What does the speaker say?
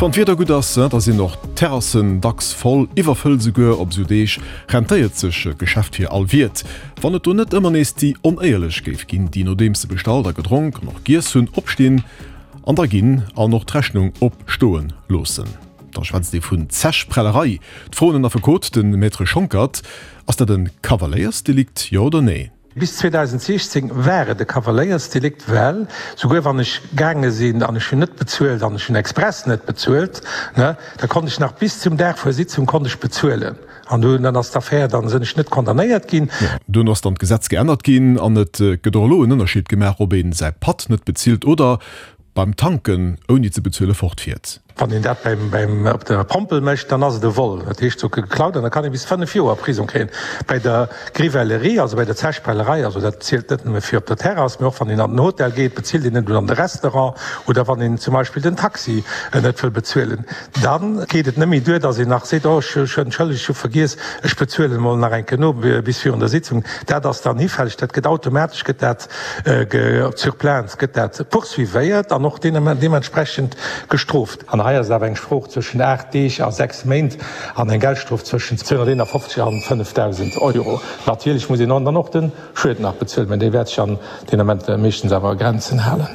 Wann d'Wieder gutt ass, da sinn och d'Terrassen dacks voll, iwwerfëllt esouguer. Op esou Deeg rentéiert sech e Geschäft fir all Wiert. Wann et do net ëmmer nees déi Onéierlech géif ginn, déi nodeems se bestallt a gedronk an och giess hunn, opstinn an da ginn an och d'Rechnung opstoe loossen. Da schwätzt ee vun Zechprellerei. D'Fro un den Affekot, de Maître Schonckert, Ass dat e Kavaléiersdelikt, jo oder nee? Bis 2016 war et e Kavaléiersdelikt, well souguer wann ech gaange sinn an ech hunn net bezuelt an ech hunn express net bezuelt, ne, da konnt ech nach bis zum Dag vun der Sitzung konnt ech bezuelen an dunn dann ass d'Affär, dann sinn ech net condamnéiert ginn. Jo, duerno ass dann d'Gesetz geännert ginn an et gëtt och elo en Ënnerscheed gemaach, ob ee säi Patt net bezilt oder beim Tanken ouni ze bezuele fortfiert. Wann een dat beim op der Pompel mécht, dann ass et e Vol, dat heescht sou geklaut, an da kann ee bis 5 Joer Prisong kréien. Bei der Grivellerie, also bei der Zechprellerei, also dat zielt net nëmme fir op der Terrass, mee och wann een an den Hotel geet, bezilt een net oder an de Restaurant oder wann een zum Beispill den Taxi net wëll bezuelen, da geet et net méi duer, datt een nach seet, oh ech entschëllegt, ech hu vergiess, ech bezuelen emol nach eng Kéier no bis virun der Sitzung. Dat ass dann hifälleg, dat gëtt automatesch gëtt dat Sur plainte gëtt dat poursuivéiert an och deementsprechend gestrooft. An hei ass et awer eng Strof zwëschen 8 Deeg a 6 Méint an eng Geldstrof zwëschen 251 an 5.000 Euro. Natierlech muss een dann och de Schued nach bezuelen, mä dee wäert sech an deen Ament meeschtens awer a Grenzen halen.